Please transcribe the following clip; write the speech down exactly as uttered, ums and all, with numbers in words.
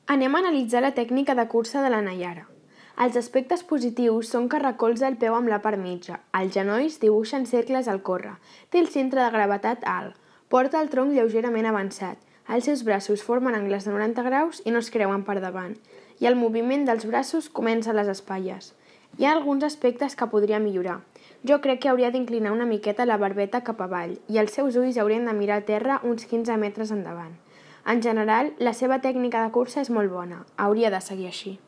Anem a analitzar la tècnica de cursa de la Nayara. Els aspectes positius són que recolza el peu amb la part mitja, els genolls dibuixen cercles al córrer, té el centre de gravetat alt, porta el tronc lleugerament avançat, els seus braços formen angles de noranta graus i no es creuen per davant, i el moviment dels braços comença a les espatlles. Hi ha alguns aspectes que podria millorar. Jo crec que hauria d'inclinar una miqueta la barbeta cap avall i els seus ulls haurien de mirar a terra uns quinze metres endavant. En general, la seva tècnica de cursa és molt bona. Hauria de seguir així.